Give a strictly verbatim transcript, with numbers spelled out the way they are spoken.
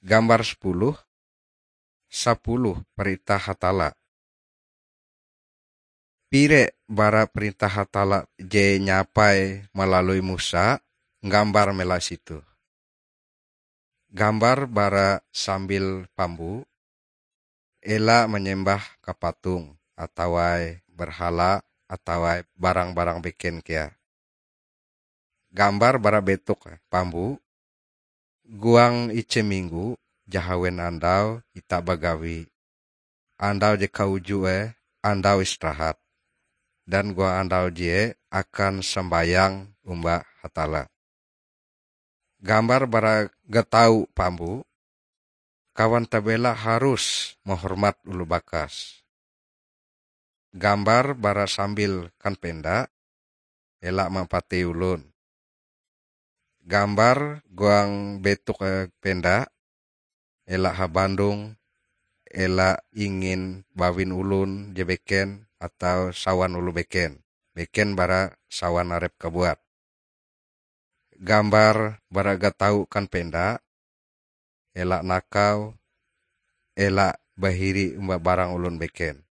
Gambar sepuluh, sepuluh perintah Hatalla. Pire bara perintah Hatalla je nyapai malalui Musa, gambar mela situ. Gambar bara sambil pambu, ela manyembah ka patung atawa berhala atawa barang-barang beken kea. Gambar bara betok pambu, guang ije minggu jahawen andau ita bagawi. Andau je kauju eh, andau istirahat. Dan guang andau je akan sambayang omba Hatalla. Gambar bara gatau pambu, kawan tabela harus mahormat oloh bakas. Gambar bara sambil kan penda, ela mampatei olon. Gambar guang betok eh, penda, ela habandong, ela ingin bawin olon je beken atau sawan oloh beken, beken bara sawan arep kabuat. Gambar bara gatau kan penda, ela nakau, ela bahiri omba barang olon beken.